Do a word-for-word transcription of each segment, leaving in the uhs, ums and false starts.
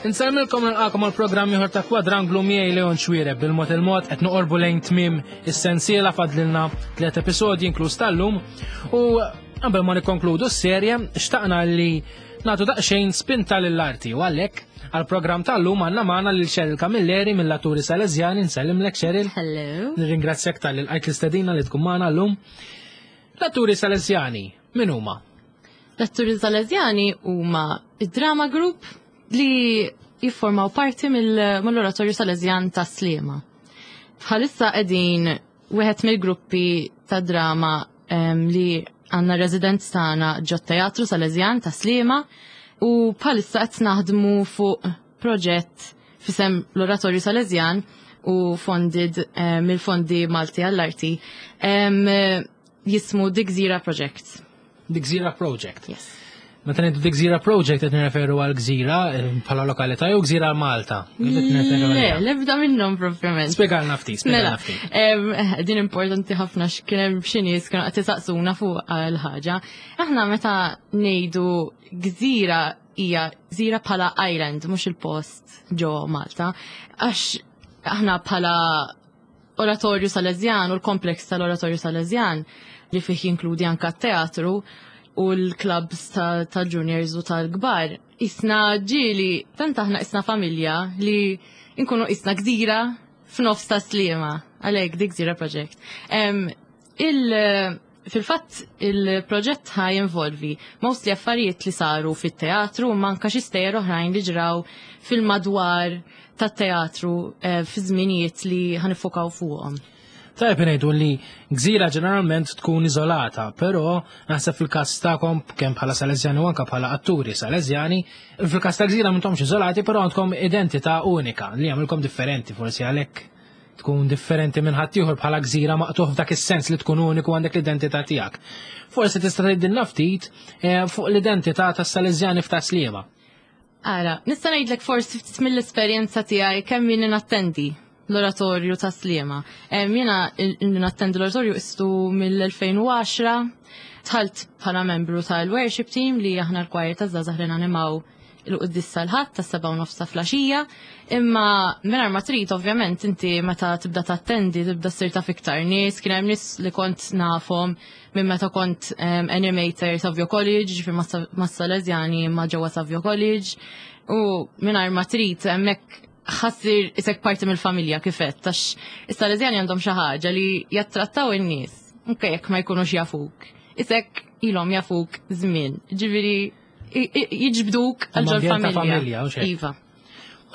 Insellmilkom, nilqagħkom għal programm ieħor ta' Kwadranglu miegħi Leon Xuereb. Bil-mod il-mod qed noqorbu lejn tmiem is-sensiela, fadlilna tliet episodji inkluż tal-lum, u qabel ma nikkonkludu s-serje xtaqna li nagħtu daqsxejn spinta lill-arti u għalhekk għal-programm tal-lum għandna magħna lil Cheryl Camilleri mill-Atturi Salesjani. Nsellimlek, Cheryl. Hello. Nirringrazzjak talli lqajt l-istedina li tkun magħna llum. L-Atturi Salesjani, min huma? L-Atturi Salesjani huma id-drama group li jiffurmaw parti mill-Oratorju Salesjan ta' Sliema. Bħalissa qegħdin wieħed mill-gruppi ta' drama em, li għandna residence tagħna ġo Teatru Salesjan ta' Sliema u bħalissa qed naħdmu fuq proġett f'isem l-Oratorju Salesjan u funded eh, mill-Fondi Malti għall-Arti em, jismu The Gżira Project. The Gżira Project. Yes. Meta ngħidu The Gżira Project, qed nirreferu għal Gżira eh, bħala lokalità jew Gżira Malta? Kif qed nirreferu Le, għaliha? lebda minnhom propjament. Spjegalna ftit, Mela, spjegalna ftit. em, din importanti ħafna x'kien hemm xi nies kienu qed isaqsuna fuq l-ħaġa. Aħna meta ngħidu gżira, hija gżira bħala island, mhux il-post ġo Malta, għax aħna bħala Oratorju Salesjan u l-kompleks tal-Oratorju Salesjan li fih jinkludi anka teatru u l-clubs ta', ta juniors u tal-kbar. Isna ġili, tant aħna isna familja li nkunu isna gżira f'nofs ta' Sliema, għalhekk The Gżira Project. Em, il, fil-fatt il-proġett ħa jinvolvi mostly affarijiet li saru fit-teatru u manka xi stejjer oħrajn li ġraw fil-madwar tat-teatru eh, fi żminijiet li ħa niffukaw fuqhom. Tajjeb ngħidu li gżira ġeneralment tkun iżolata, però naħseb fil-każ tagħkom, kemm bħala Salesjani u anke bħala Atturi Salesjani, fil-każ ta' gżira m'intomx iżolati, però għandkom identità unika li jagħmilkom differenti, forsi għalhekk tkun differenti minn ħaddieħor bħala gżira maqtuħ f'dak is-sens li tkun uniku, għandek l-identità tiegħek. Forsi tista' tgħidilna ftit eh, fuq l-identità tas-Salesjani f'Tas-Sliema. Ara, nista' ngħidlek forsi ftit mill-esperjenza tiegħi kemm jien nattendi l-Oratorju ta' Sliema. Em, Jiena il- nattendi l-oratorju istu mill-elfejn u għaxra, dħalt bħala membru tal-worship team, li aħna l-choir ta' żgħażagħ li nanimaw il-quddies tal-Ħadd ta' seba' u nofs ta' filgħaxija, imma mingħajr ma trid ovvjament inti meta tibda tattendi tibda ssir taf iktar nies. Kien hemm nies li kont nafhom minn meta kont um, animator Savio College, ġifier mas-Salesjani ma' ġewwa Savio College, u mingħajr ma trid hemmhekk ħa ssir isek parti mill-familja kifet, għax is-Salesjani għandhom xi ħaġa li jattrattaw in-nies, anke jekk ma jkunux jafuk. Isek ilhom jafuk żmien, ġifieri i- i- jiġbduk għal ġol Ambjent ta' familja. familja, u xejn. Iva.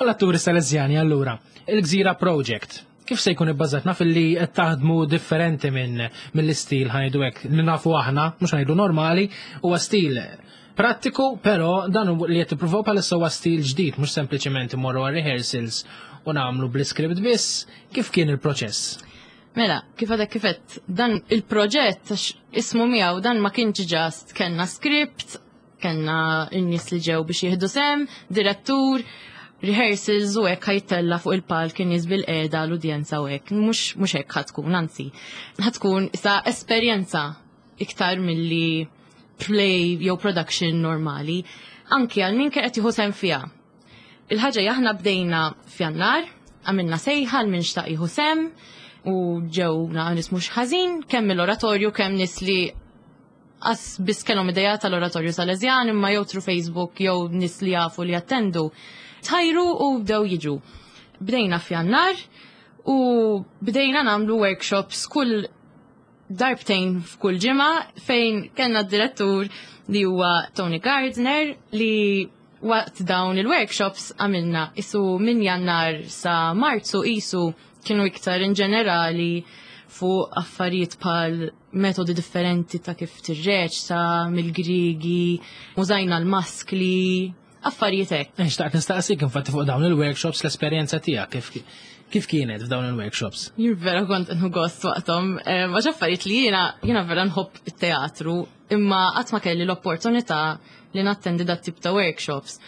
U l-Atturi Salesjani allura, il-Gżira Project, kif se jkun ibbażat? Naf li qed taħdmu differenti minn mill-istil, ħa ngħidu hekk, li nafu aħna, mhux ngħidu normali, huwa stil prattiku, però dan hu li qed tippruvaw bħalissa huwa stil ġdid, mhux sempliċement imorru għal rehearsals u nagħmlu bl-iskript biss. Kif kien il-proċess? Mela, kif għadek kifet, dan il-proġett, għax ismu miegħu, dan ma kienx just kellna script, kellna n-nies li ġew biex jieħdu sem, direttur, rehearsals u hekk, ħa jittella' fuq il-palk kien nies bil-qiegħda l-udjenza u hekk. Mhux mhux hekk ħa tkun, anzi. Ħa tkun issa esperjenza iktar milli play jew production normali. Anki għal min kien qed jieħu sem fiha. Il-ħaġa hija aħna bdejna f'Jannar, għamilna sejħa għal min xtaq jieħu sem u ġewna nies mhux ħażin, kemm mill-oratorju, kemm nies li qas biss kellhom idea tal-Oratorju Salesjan, imma jew through Facebook jew nies li jafu li jattendu. Tħajru u bdew jiġu. Bdejna f'Jannar u bdejna nagħmlu workshops kull darbtejn f'kull ġimgħa, fejn kellna d-direttur li huwa Tony Gardner, li waqt dawn il-workshops għamilna isu minn Jannar sa Marzu, isu kienu iktar in ġenerali fuq affarijiet bħal metodi differenti ta' kif tirreċta mill-Grigi, użajna l-maskli, affarijiet hekk. Eh, Xtaqt nistaqsik infatti fuq dawn il-workshops, l-esperjenza tiegħek kif kif kienet f'dawn il-workshops? Jien vera kont nieħu gost waqthom, eh, għax affarijiet li jiena jiena vera nħobb it-teatru, imma qatt ma kelli l-opportunità li nattendi dat tip ta' workshops.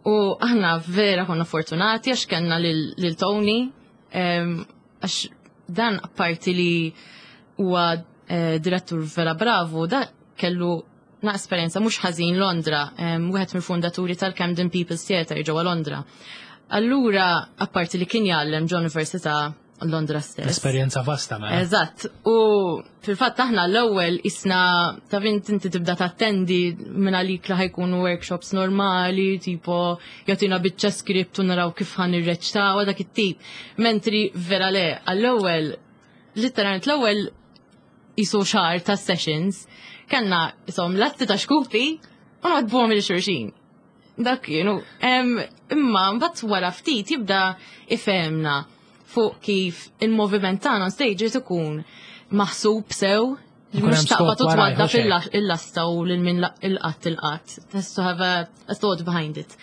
U aħna vera konna fortunati għax kellna lil lil Tony, em, għax dan apparti li huwa eh, direttur vera bravu, da kellu na esperjenza mhux ħażin Londra, em, wieħed mill-fundaturi tal-Camden People's Theatre ġewwa Londra. Allura, apparti li kien jgħallem ġo Università Londra stess. Esperjenza vasta, mela. Eżatt, u fil-fatt aħna l-ewwel isna ta' vint inti tibda tattendi minn għalik li ħa jkunu workshops normali, tipo jagħtina biċċa script u naraw kif ħa nirreċtaw dak it-tip. Mentri vera le, għall-ewwel literalment l-ewwel jisu xahar ta' sessions, kellna isom lasti ta' xkupi u nagħdbuhom lil xulxin. Dak kienu. Em, Imma mbagħad wara ftit jibda ifhemna fuq kif il-moviment tagħna on stage irid ikun maħsub sew, Ikun mhux hemm taqbad skop u warajh, twadda hux hekk? fil-lasta u lil min il-qatt il-qatt. It has to have a, a thought behind it.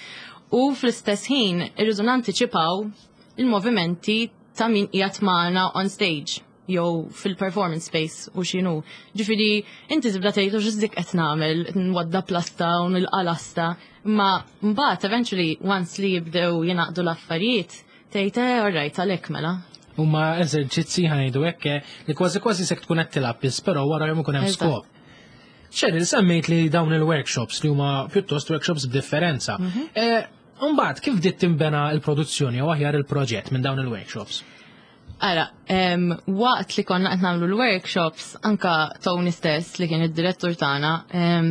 U fl-istess ħin irridu nantiċipaw il-movimenti ta' min qiegħed magħna on stage jew fil-performance space u x'inhu. Ġifieri inti tibda tgħid x'dik qed nagħmel, nwadda plasta u nilqa' lasta, imma mbagħad eventually once li jibdew jingħaqdu l-affarijiet, tgħid eh alright għalhekk mela. Huma eżerċizzi ħa ngħidu hekk eh, li kważi kważi sek tkun qed tilgħab biss, però wara jom ikun hemm Eżatt. skop. Cheryl, semmejt li dawn il-workshops li huma pjuttost workshops b'differenza. Mhm. Eh, Mbagħad kif bdiet tinbena l-produzzjoni u aħjar il-proġett minn dawn il-workshops? Ara, em, waqt li konna qed nagħmlu l-workshops, anka Tony stess li kien id-direttur tagħna, em,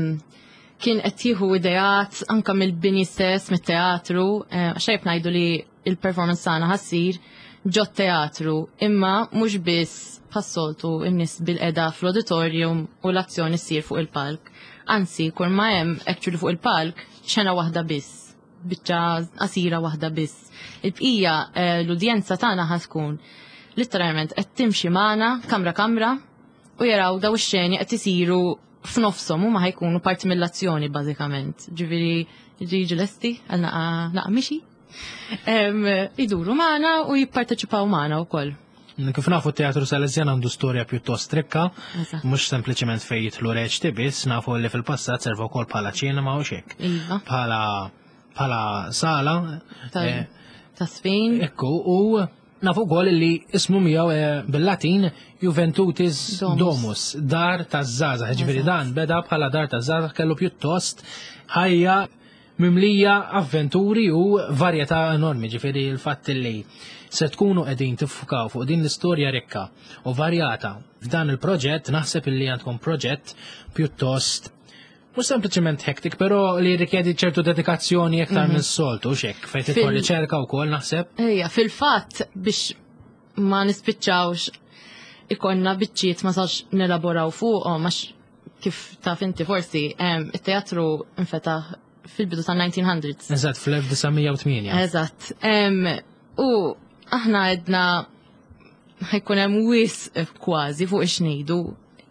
kien qed jieħu ideat anka mill-bini stess, mit-teatru, eh, xejb ngħidu li il-performance tagħna ħa ssir ġo teatru, imma mhux biss bħas-soltu n-nies bil-qeda fl-auditorium u l-azzjoni ssir fuq il-palk. Anzi, kull ma hemm actually fuq il-palk xena waħda biss, biċċa qasira waħda biss. Il-bqija eh, l-udjenza tagħna ħa tkun literalment qed timxi magħna kamra kamra u jaraw daw ix-xeni qed isiru f'nofshom huma ħa jkunu parti mill-azzjoni bażikament. Ġifieri jiġu lesti għal naqa naqa mixi. Em, Iduru magħna u jipparteċipaw magħna wkoll. Kif nafu t-teatru Salesjan għandu storja pjuttost rikka, Eżatt. mhux sempliċement fejn jidħlu reċti biss, nafu li fil-passat serva wkoll bħala ċinema u xek. Iva. Bħala bħala sala. Ta' eh, ta' sfin. Ekku, u nafu wkoll li ismu miegħu eh, bil-Latin Juventutis Domus. Domus, dar taż-żgħażagħ. Ġifieri Eżatt. dan beda bħala dar taż-żgħażagħ kellu pjuttost ħajja mimlija avventuri u varjetà enormi, ġifieri l-fatt li se tkunu qegħdin tiffukaw fuq din l-istorja rikka u varjata f'dan il-proġett, naħseb illi għandkom proġett pjuttost mhux sempliċement hectic, però li rikjedi ċertu dedikazzjoni iktar minn soltu, xek, fejn tidħol Fil- riċerka wkoll naħseb. Ejja, fil-fatt biex ma nispiċċawx ikonna biċċiet ma sax nelaboraw fuqhom għax kif taf inti forsi em, it-teatru infetaħ fil-bidu tal-nineteen hundreds. Eżatt, fl-elf disa' mija u tmienja. Eżatt. Em, U aħna għedna ħa jkun hemm wisq kważi fuq ix-ngħidu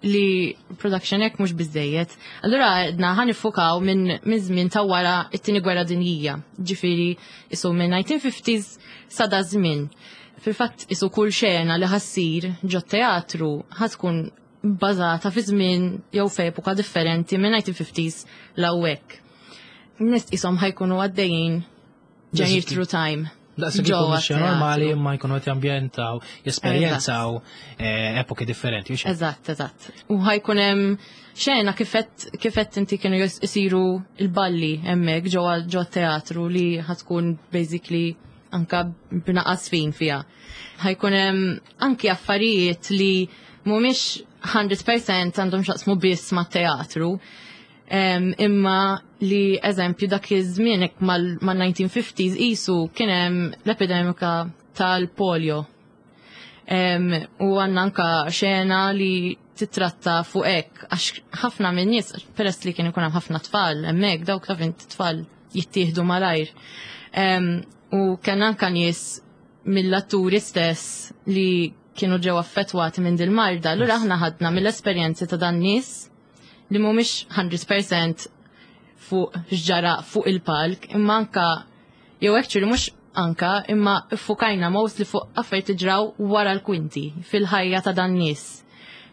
li production hekk mhux biżejjed. Allura għedna ħa niffukaw minn minn żmien ta' wara it-tieni gwerra dinjija. Ġifieri isu minn nineteen fifties sa da żmien. Fil-fatt isu kull xena li ħa ssir ġo teatru ħa tkun bbażata fi żmien jew f'epoka differenti minn nineteen fifties 'l hawnhekk. Nies isom ħa jkunu għaddejjin journey through time. Daqs Ġewwa kieku mixja normali teatru. imma jkunu qed jambjentaw, jesperjenzaw eh, epoki differenti. Hux hekk? Eżatt, eżatt. U ħa jkun hemm xena kifet kifet inti kienu jis- isiru il-balli hemmhekk ġewwa ġo teatru li ħa tkun basically anka b'naqas fin fiha. Ħa jkun hemm anki affarijiet li mhumiex mija fil-mija għandhom x'jaqsmu biss mat-teatru. Em, imma li eżempju dak iż-żmien hekk mal-nineteen fifties isu kien hemm l-epidemika tal-polio. Em, u għandna anka xena li titratta fuq hekk, għax ħafna minn nies, peress li kien ikun hemm ħafna tfal hemmhekk, dawk taf int tfal jittieħdu malajr. Em, u kien anka nies mill-atturi stess li kienu ġew affettwati minn dil-marda. Allura aħna ħadna mill-esperjenzi ta' dan nies li mhumiex mija fil-mija fuq x'ġara fuq il-palk, imma anka jew actually mhux anka imma ffukajna mostly fuq affarijiet li ġraw wara l-kwinti fil-ħajja ta' dan nies.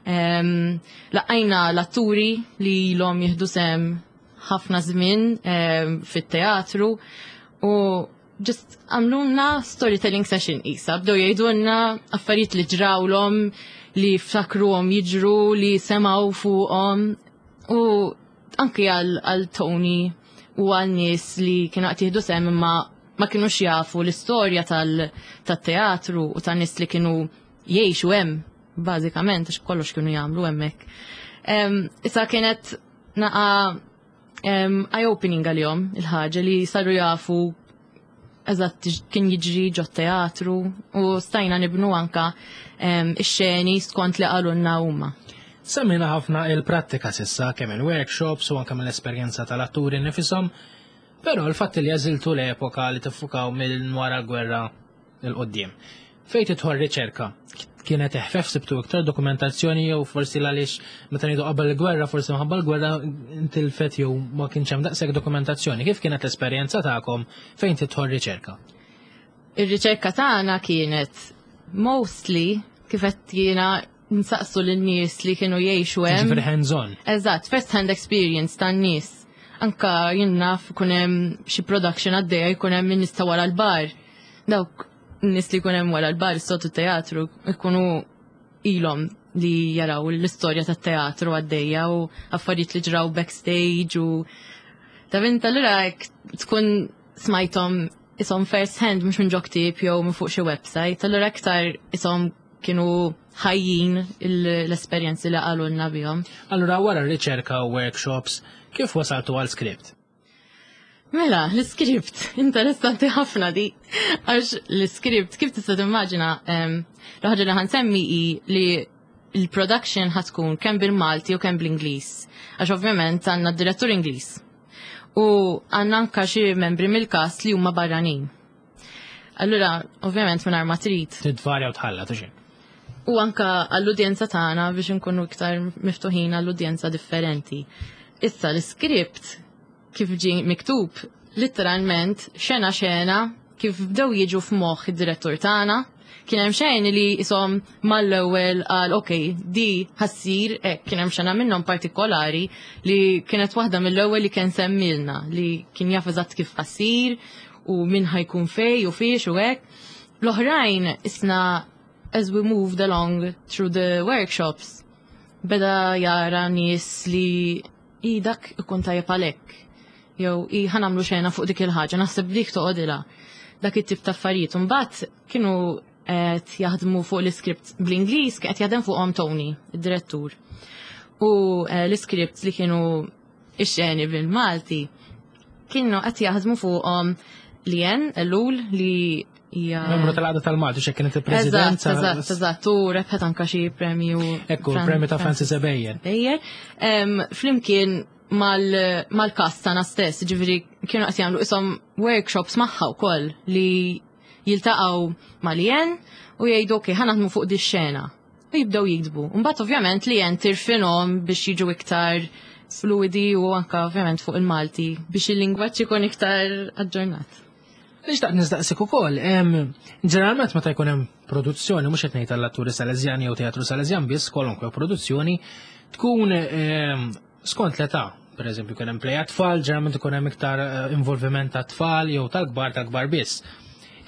Um, laqajna l-atturi li ilhom jieħdu sem ħafna żmien um, fit-teatru u just għamlulna storytelling session isa, bdew jgħidulna affarijiet li ġrawlhom, li ftakruhom jiġru, li semgħu fuqhom u Anki għal Tony u għal nies li kienu qed jieħdu sehem imma ma kienux jafu l-istorja tal-teatru u tan-nies li kienu jgħixu hemm, bażikament, għax kollox kienu jagħmlu hemmhekk. Issa kienet naqa eye-opening għalihom il-ħaġa li saru jafu eżatt kien jiġri ġo teatru u stajna nibnu anka ix-xeni skont li qalulna huma. Semmina ħafna il-prattika s'issa, kemm il-workshops u anke mill-esperjenza tal-atturi nifisom, però l-fatt li għażiltu l-epoka li tiffukaw minn wara l-gwerra 'l quddiem. Fejn tidħol riċerka, kienet eħfef, sibtu iktar dokumentazzjoni, jew forsi għaliex meta ngħidu qabel il-gwerra, forsi minħabba l-gwerra intilfet jew ma kienx hemm daqshekk dokumentazzjoni? Kif kienet l-esperjenza tagħkom fejn tidħol riċerka? Ir-riċerka tagħna kienet mostly, kif qed jiena, nsaqsu lin-nies li kienu jgħixu hemm. Ġifieri hands-on. Eżatt, first hand experience tan-nies. Anka jien naf ikun hemm xi production għaddejja, jkun hemm min nista' wara l-bar. Dawk n-nies li jkun hemm wara l-bar s-sotu teatru ikunu ilhom li jaraw l-istorja tat-teatru għaddejja u affarijiet li ġraw backstage u ta' vint allura tkun smajthom isom first hand, mhux minn ġo ktieb jew minn fuq xi website, allura aktar isom kienu ħajjin l-esperjenzi li qalulna bihom. Allura wara r-riċerka u workshops, kif wasaltu għal script? Mela, l-script, interessanti ħafna di. Għax l-script, kif tista' timmaġina, l-ħaġa li ħa nsemmi hi li il-production ħa tkun kemm bil-Malti u kemm bl-Ingliż. Għax ovvjament għandna direttur Ingliż. U għandna anka xi membri mill-cast li huma barranin. Allura, ovvjament minn ma trid. Tidvarja u tħalla, tuxi. U anka għall-udjenza tagħna, biex nkunu iktar miftuħin għall-udjenza differenti. Issa l-script kif ġi miktub, literalment xena xena kif bdew jiġu f'moħħ id-direttur tagħna, kien hemm xejn li isom mal-ewwel qal, "Ok, di ħa ssir hekk." Kien hemm xena minnhom partikolari li kienet waħda mill-ewwel li kien semmilna, li kien jaf eżatt kif ħa ssir u min ħa jkun fej u fiex u hekk. L-oħrajn isna as we moved along through the workshops beda jara nies li i dak ikun tajjeb għalhekk. Jew i ħa nagħmlu xena fuq dik il-ħaġa, naħseb dik toqgħodilha. Dak it-tip ta' affarijiet. Imbagħad kienu qed jaħdmu fuq l-iskript bl-Ingliż, qed jaħdem fuqhom Tony, id-direttur. U eh, l-iskript li kienu ix-xeni bil-Malti kienu qed jaħdmu fuqhom Lien Ellul, li hija Membru tal-Għaqda tal-Malti, xe kienet il-president. Eżatt, eżatt, eżatt, u rebħet anka xi premju. Ekku, premju ta' Francis Ebejer. Ebejer. Flimkien mal-cast tagħna stess, ġifieri kienu qed jagħmlu isom workshops magħha wkoll, li jiltaqgħu ma' Lien u jgħidu, "Ok, ħa naħdmu fuq di xena." U jibdew jiktbu. Mbagħad ovvjament Lien tirfinhom biex jiġu iktar fluidi u anka ovvjament fuq il-Malti biex il-lingwaġġ ikun iktar aġġornat. Nixtaq nistaqsik ukoll, ġeneralment meta jkun hemm produzzjoni, mhux qed ngħid għall-atturi Salesjani jew teatru Salesjan biss, kwalunkwe produzzjoni tkun skont l-età. Per eżempju, kien hemm play tfal, ġeneralment ikun hemm iktar eh, involviment ta' tfal, jew tal-kbar tal-kbar biss.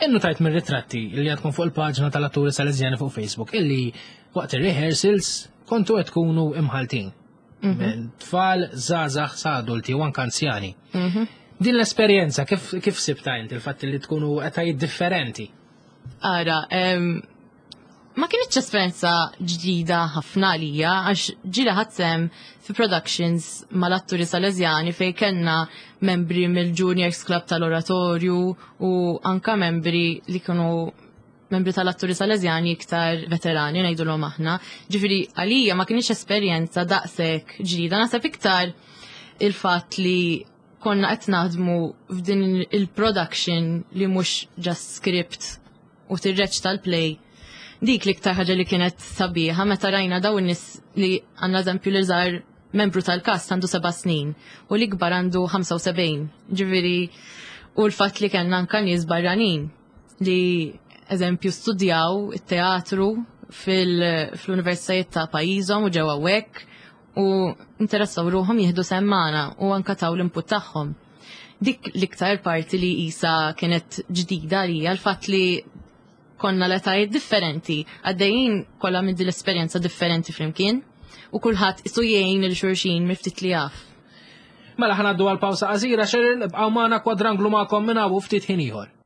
Innotajt minn ritratti li għandkom fuq il-paġna tal-atturi Salesjani fuq Facebook illi waqt il-rehearsals kontu qed tkunu imħaltin. Mhm. Tfal, żgħażagħ, sa adulti u anke anzjani. Mhm. Din l-esperjenza kif, kif sibta inti, il-fatt li tkunu etajiet differenti? Ara, em, ma kienx esperjenza ġdida ħafna għalija, għax ġieli ħadt sehem fi productions mal-atturi Salesjani fej kellna membri mill-Juniors Club tal-Oratorju u anka membri li kienu membri tal-atturi Salesjani iktar veterani, ngħidulhom aħna. Ġifieri għalija ma kienx esperjenza daqshekk ġdida, naħseb iktar il-fatt li konna qed naħdmu f'din il-production li mhux just script u tirreċta l-play. Dik l-iktar ħaġa li kienet sabiħa meta rajna daw in-nies li għandna, eżempju, li żgħar membru tal-cast għandu seba' snin u l-ikbar għandu ħamsa u sebgħin. Ġifieri u l-fatt li kellna anka nies barranin li, eżempju, studjaw it-teatru fil-universitajiet ta' pajjiżhom u ġew hawnhekk u interessaw ruħhom jieħdu sehem magħna u anka taw l-input tagħhom. Dik l-iktar parti li isa kienet ġdida għalija, l-fatt li konna l-etajiet differenti, għaddejjin kollha minn din l-esperjenza differenti flimkien u kulħadd isu jgħin lil xulxin miftit li jaf. Mela ħa ngħaddu għal pawsa qasira, Cheryl, ibqgħu magħna Kwadranglu magħkom minn hawn ftit ħin ieħor.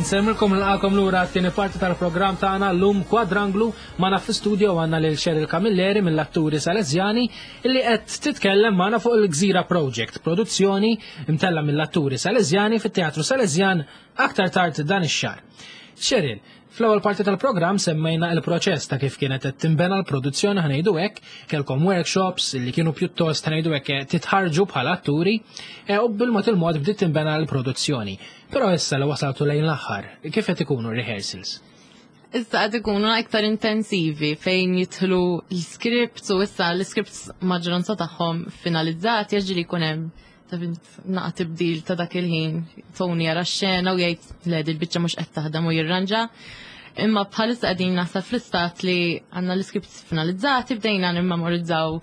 Insellmilkom, nilqagħkom lura t-tieni parti tal-programm tagħna llum Kwadranglu. Magħna fl-studio għandna lil Cheryl Camilleri mill-Atturi Salesjani illi qed titkellem magħna fuq il-Gżira Project, produzzjoni imtella mill-Atturi Salesjani fit-Teatru Salesjan aktar tard dan ix-xahar. Cheryl, fl-ewwel parti tal-programm semmejna il-proċess ta' kif kienet qed tinbena l-produzzjoni, ħa ngħidu hekk, kellkom workshops li kienu pjuttost, ħa ngħidu hekk, titħarġu bħala atturi e, u bil-mod il-mod bdiet tinbena l-produzzjoni. Però issa li wasaltu lejn l-aħħar, kif qed ikunu rehearsals? Issa qed ikunu iktar intensivi fejn jidħlu l-scripts u issa l-scripts maġġoranza tagħhom finalizzati, jiġri jkun hemm ta' naqa tibdil ta' dak il-ħin, Tony jara x-xena u jgħid le, il-biċċa mhux qed taħdem u jirranġa. Imma bħalissa qegħdin naħseb fl-istat li għandna l-scripts finalizzati, bdejna nimmemorizzaw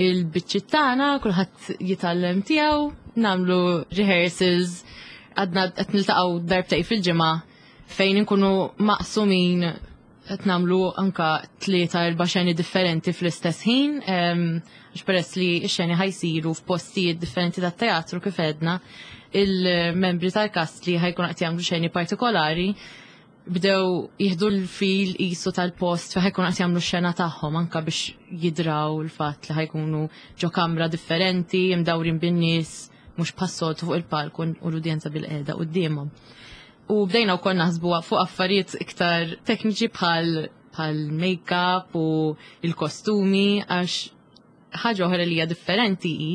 il-biċċiet tagħna, kulħadd jitgħallem tiegħu, nagħmlu rehearsals, għadna qed niltaqgħu darbtejn fil-ġimgħa fejn inkunu maqsumin qed nagħmlu anka tlieta erba' xeni differenti fl-istess ħin, għax peress li x-xeni ħa jsiru f'postijiet differenti tat-teatru kif għedna, il-membri tal-kast li ħa jkun qed jagħmlu xeni partikolari bdew jieħdu l-feel qisu tal-post fejn ħa jkun qed jagħmlu x-xena tagħhom anka biex jidraw il-fatt li ħa jkunu ġo kamra differenti, imdawrin bin-nies, mhux bħas-soltu fuq il-palk u l-udjenza bil-qiegħda quddiemhom. U bdejna wkoll naħsbu fuq affarijiet iktar tekniċi bħal bħal make-up u il-kostumi, għax ħaġa oħra li hija differenti hi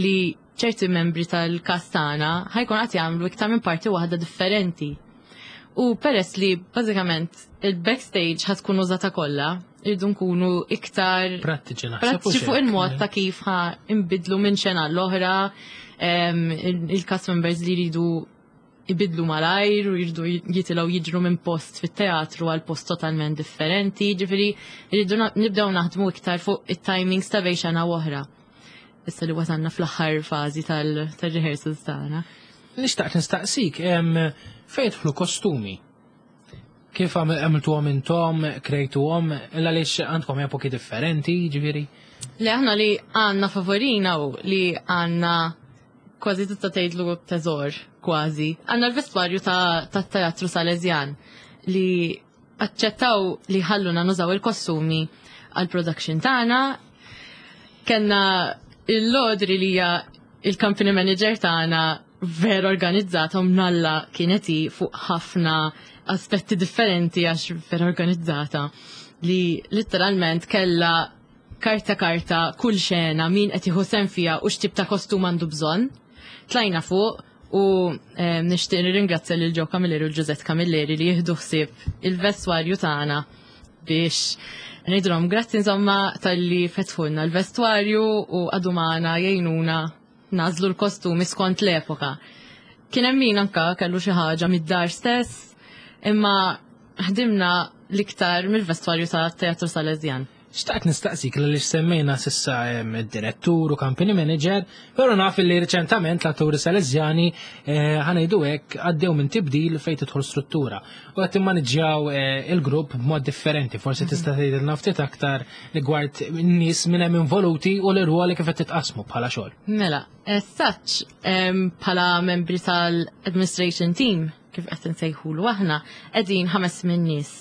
li ċerti membri tal-kast tagħna ħa jkun qed jagħmlu iktar minn parti waħda differenti. U peress li bażikament il-backstage ħa tkun użata kollha, irridu nkunu iktar prattiċi naħseb. Prattiċi fuq il-mod ta' kif ħa nbidlu minn xena l-oħra, il-cast members li jridu ibidlu malajr u jridu jitilgħu jiġru minn post fit-teatru għal post totalment differenti, ġifieri jridu nibdew naħdmu iktar fuq it-timings ta' bejn xena oħra. Issa li wasalna fl-aħħar fażi tal-rehearsals tagħna. Nixtaq nistaqsik, fejn jidħlu kostumi? Kif għamiltuhom intom, krejtuhom, għaliex għandkom epoki differenti, ġifieri? Li aħna li għandna favorina u li għandna kważi tista' tgħidlu teżor, kważi. Għandna l-vestwarju ta' teatru Salesjan li aċċettaw li ħalluna nużaw il-kostumi għal-production tagħna. Kenna il-Lodri li hija il-company manager tagħna vera organizzata u mnalla kienet hi fuq ħafna aspetti differenti għax vera organizzata li literalment kella karta karta kull xena min qed jieħu sehem fiha u x'tip ta' kostum għandu bżonn. Tlajna fuq u nixtieq nirringrazzja lil Joe Camilleri u l-Giuseppe Camilleri li jieħdu ħsieb il-vestwarju tagħna biex ngħidulhom grazzi insomma talli fetħulna l-vestwarju u għadu magħna jgħinuna nażlu l-kostumi skont l-epoka. Kien hemm min anka kellu xi ħaġa mid-dar stess, imma ħdimna l-iktar mill-vestwarju ta' Teatru Salesjan. Xtaqt nistaqsik li semmejna s'issa id-direttur u company manager, pero naf li reċentament l-atturi Salesjani eh, ħa ngħidu hekk għaddew minn tibdil fejn tidħol struttura. U qed timmaniġġjaw eh, il-grupp b'mod differenti, forsi tista' tgħidilna ftit aktar rigward n-nies minn hemm involuti u l-irwoli kif qed titqasmu bħala xogħol. Mela, as such, bħala membri tal-administration team, kif qed nsejħulu aħna, qegħdin ħames minn nies.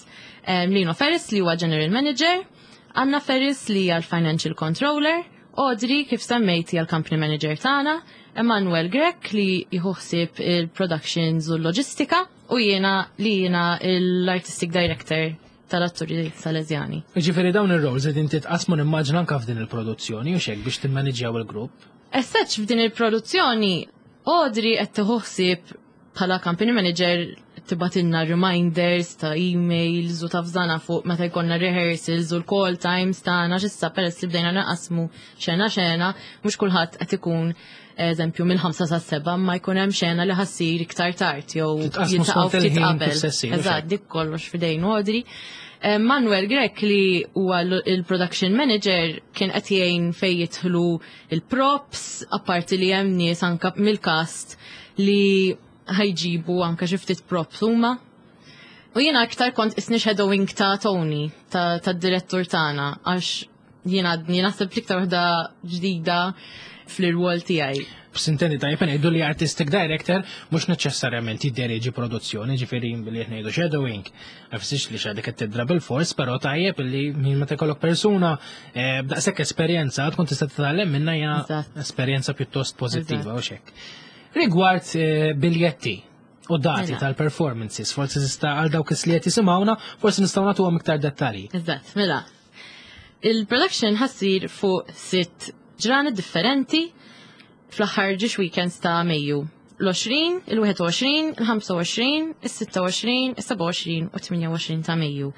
Lino Ferris li huwa general manager, Anna Ferris li hija l-financial controller, Audrey kif semmejti hija l-company manager tagħna, Emanuel Grech li jieħu ħsieb il-productions u l-loġistika u jiena li jiena l-artistic director tal-atturi Salesjani. Ġifieri dawn ir-roles qed inti tqasmu nimmaġna anke f'din il-produzzjoni u xek biex timmaniġġjaw il-grupp. As such f'din il-produzzjoni Audrey qed tieħu ħsieb bħala company manager tibgħatilna reminders ta' emails u ta' fżana fuq meta jkollna rehearsals u l-call times tagħna x'issa peress li bdejna naqasmu xena xena, mhux kulħadd qed ikun eżempju mill-ħamsa sa' seba' ma jkun hemm xena li ħa ssir iktar tard jew jiltaqgħu ftit qabel. Eżatt, dik kollox f'idejn Audrey. Eh, Manuel Grech li huwa il-production manager kien qed jgħin fejn jidħlu il-props, apparti li hemm nies anka mill-cast li ħa jġibu anka xi ftit props huma. U jiena aktar kont isni shadowing ta' Tony, ta' ta' direttur tagħna, għax jiena għadni naħseb l-iktar waħda ġdida fl-irwol tiegħi. S'intendi tajjeb ngħidu li artistic director mhux neċessarjament jidderieġi produzzjoni, ġifieri billi qed ngħidu shadowing. Ma jfissirx li x'għadek qed tidra bil-fors, però tajjeb li min meta jkollok persuna eh, b'daqshekk esperjenza tkun tista' titgħallem minnha hija Eżatt. esperjenza pjuttost pożittiva u xek. Rigward eh, biljetti u dati Mela. tal-performances, forsi tista' għal dawk li qed jisimgħuna, forsi nistgħu nagħtuhom iktar dettalji. Eżatt, mela. Il-production ħa ssir fuq sitt ġranet differenti fl-aħħar ġiex weekends ta' Mejju. L-għoxrin, il-wieħed u għoxrin, il-ħamsa u għoxrin, il-sitta u għoxrin, il-sebgħa u għoxrin u tmienja u għoxrin ta' Mejju.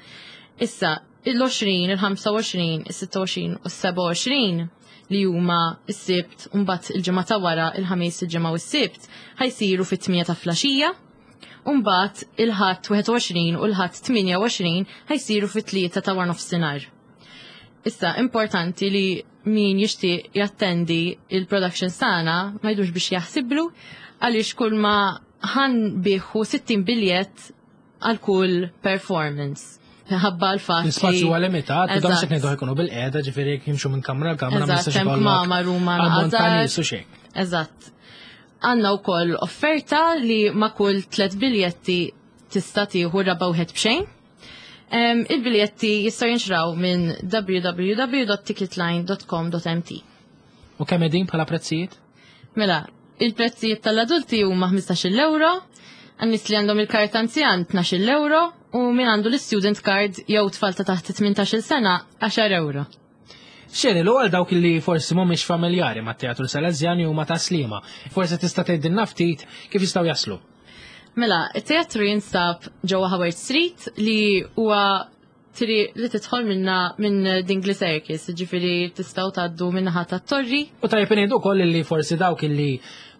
Issa, il-għoxrin, il-ħamsa u għoxrin, il-sitta u għoxrin u s-sebgħa u għoxrin li huma s-Sibt u mbagħad il-ġimgħa ta' wara il-Ħamis, il-Ġimgħa u s-Sibt ħa jsiru fit-tmienja ta' filgħaxija. Umbagħad il-Ħadd wieħed u għoxrin u l-Ħadd tmienja u għoxrin ħa jsiru fit-tlieta ta' wara nofsinhar. Issa, importanti li min jixtieq jattendi il-production tagħna ma jdux biex jaħsiblu għaliex kull ma ħa nbigħu sittin biljett għal kull performance. Ħabba l-fatt. L-ispazju huwa limitat, u dawn Eżatt. se ngħidu ħa jkunu bil-qiegħda, ġifieri jekk jimxu minn kamra l kamra ma Eżatt, jistax hemm ikollok kmamar huma ammont ta' naqas. nies u xejn. Eżatt. Għandna wkoll offerta li ma' kull tlet biljetti tista' tieħu raba' wieħed b'xejn. Em, Il-biljetti jistgħu jinxraw minn w w w dot ticketline dot com dot m t. U kemm qegħdin bħala prezzijiet? Mela, il-prezzijiet tal-adulti huma ħmistax-il euro, għan-nies li għandhom il-karta anzjan tnax-il euro u min għandu l-student card jew tfal ta' taħt tmintax-il sena għaxar euro. Xeri, l għal dawk li forsi mhumiex familjari ma' teatru Salesjani u ma' Tas-Sliema, forsi tista' tgħidilna ftit kif jistgħu jaslu. Mela, il-teatru jinstab ġewwa Howard Street li huwa triq li tidħol minna minn Dingli Circus, ġifieri tistgħu tgħaddu minnaħa tat-torri. U tajjeb ngħidu wkoll li forsi dawk li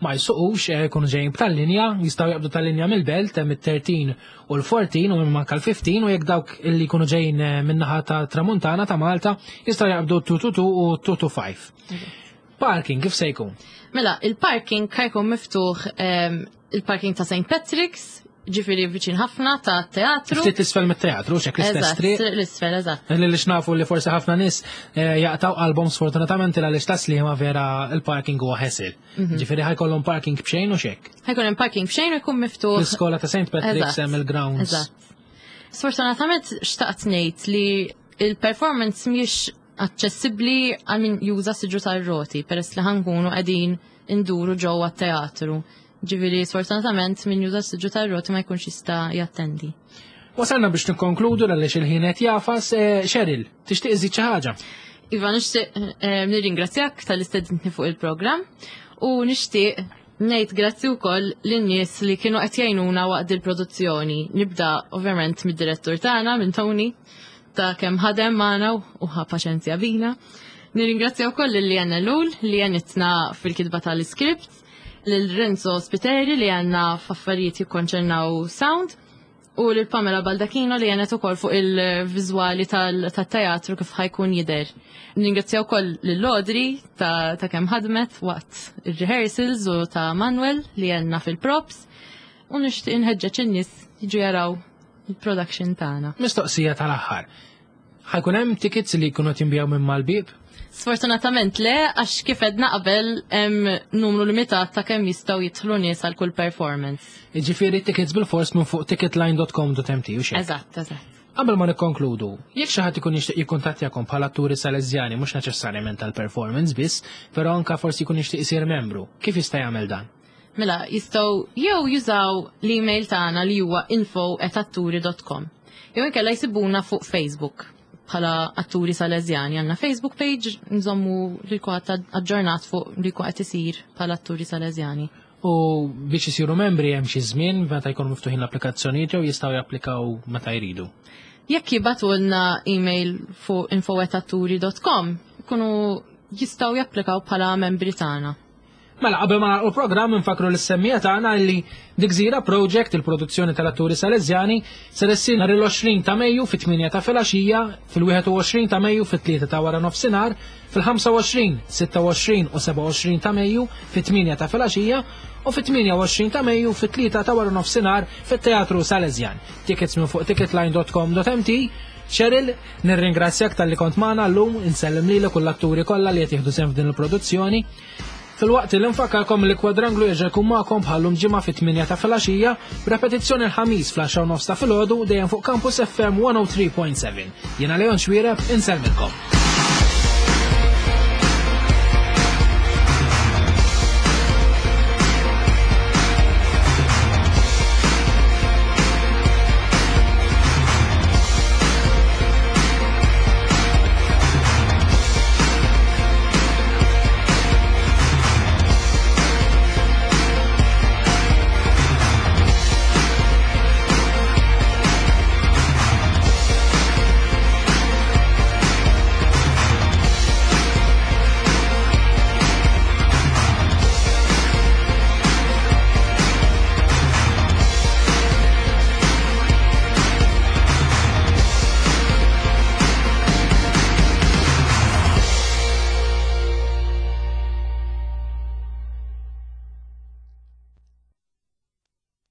ma jsuqux eh, jkunu ġejjin b'tal-linja, jistgħu jaqbdu tal-linja mill-belt hemm it-tlettax u l-erbatax u minn manka l-ħmistax u jekk dawk illi jkunu ġejjin eh, min-naħa ta' Tramuntana ta' Malta jistgħu jaqbdu tnejn tnejn tnejn u tnejn tnejn ħamsa. Parking kif se jkun? Mela, il-parking ħa jkun miftuħ em, il-parking ta' Saint Patrick's, ġifieri viċin ħafna ta' teatru. Ftit isfel mit-teatru, xek l-istess Eżatt, triq. l-isfel, eżatt. Li li xnafu li forsi ħafna nies eh, jaqtaw qalbhom sfortunatament għaliex Tas-Sliema vera il-parking huwa ħesil. Ġifieri ħa jkollhom parking b'xejn u xek. Ħa jkun hemm parking b'xejn u jkun miftuħ. L-iskola ta' Saint Patrick's Eżatt, hemm il-grounds. Eżatt. Sfortunatament xtaqt ngħid li il-performance mhijiex aċċessibbli għal min juża siġġu tar-roti peress li ħa nkunu qegħdin induru ġewwa t-teatru. Ġifieri sfortunatament min juża siġġu tar-roti ma jkunx jista' jattendi. Wasalna biex nikkonkludu għaliex il-ħin qed jagħfas. eh, Cheryl, tixtieq iżid xi ħaġa? Iva, nixtieq eh, nirringrazzjak talli stedintni fuq il-programm u nixtieq ngħid grazzi wkoll lin-nies li kienu qed jgħinuna waqt il-produzzjoni. Nibda ovvjament mid-direttur tagħna, minn Tony, ta' kemm ħadem magħna u ħa paċenzja bina. Nirringrazzja wkoll lil Lianna Lul li għenitna fil-kitba tal-iskript, lil Renzo Spiteri li għenna f'affarijiet jikkonċernaw sound U lil Pamela Baldacchino li għenet ukoll fuq il-viżwali tal-teatru kif ħa jkun jidher. Ningrazzjaw ukoll lil Audrey ta', ta kemm ħadmet waqt il-rehearsals u ta' Manuel li għenna fil-props u nixtieq inħeġġeġ in-nies jiġu jaraw il-production tagħna. Mistoqsija tal-aħħar. Ħa jkun hemm tickets li jkunu jinbiegħu minn mal-bib? Sfortunatament le, għax kif għedna qabel hemm numru limitat ta' kemm jistgħu jidħlu nies għal kull performance. Jiġifieri tickets bil-fors minn fuq ticketline dot com dot M T u xejn. Eżatt, eżatt. Qabel ma nikkonkludu, jekk xi ħadd ikun jixtieq jikkuntattjakom bħala atturi Salesjani, mhux neċessarjament tal-performance biss, però anka forsi jkun jixtieq isir membru, kif jista' jagħmel dan? Mela, jistgħu jew jużaw l-email tagħna li huwa info at atturi dot com. Jew inkella jsibuna fuq Facebook bħala Atturi Salesjani. Għandna Facebook page, nżommu li kulħadd aġġornat fuq li qed isir bħala Atturi Salesjani. U biex isiru membri hemm xi żmien meta jkunu miftuħin l-applikazzjonijiet jew jistgħu japplikaw meta jridu? Jekk jibagħtulna email fuq info at atturi dot com, ikunu jistgħu japplikaw bħala membri tagħna. Mela, qabel ma nagħlqu l-programm, nfakru lis-semmiegħa tagħna li The Gżira Project, il-produzzjoni tal-Atturi Salesjani, ser issir nhar il-għoxrin ta' Mejju fit-tmienja ta' filgħaxija, fil-wieħed u għoxrin ta' Mejju fit-tlieta ta' wara nofsinhar, fil-ħamsa u għoxrin, sitta u għoxrin u sebgħa u għoxrin ta' Mejju fit-tmienja ta' filgħaxija u fit-tmienja u għoxrin ta' Mejju fit-tlieta ta' wara nofsinhar fit-Teatru Salesjan. Tickets minn fuq ticketline dot com dot M T. Cheryl, nirringrazzjak talli kont magħna llum, insellem lilek u l-atturi kollha li qed jieħdu sehem f'din il-produzzjoni. Filwaqt li nfakkarkom li Kwadranglu jerġa' jkun magħkom bħal-lum ġimgħa fit-tmienja ta' filgħaxija, b'repetizzjoni l-Ħamis fl-għaxra u nofs ta' filgħodu, dejjem fuq Campus F M one oh three point seven. Jiena Leon Xwireb, insellmilkom.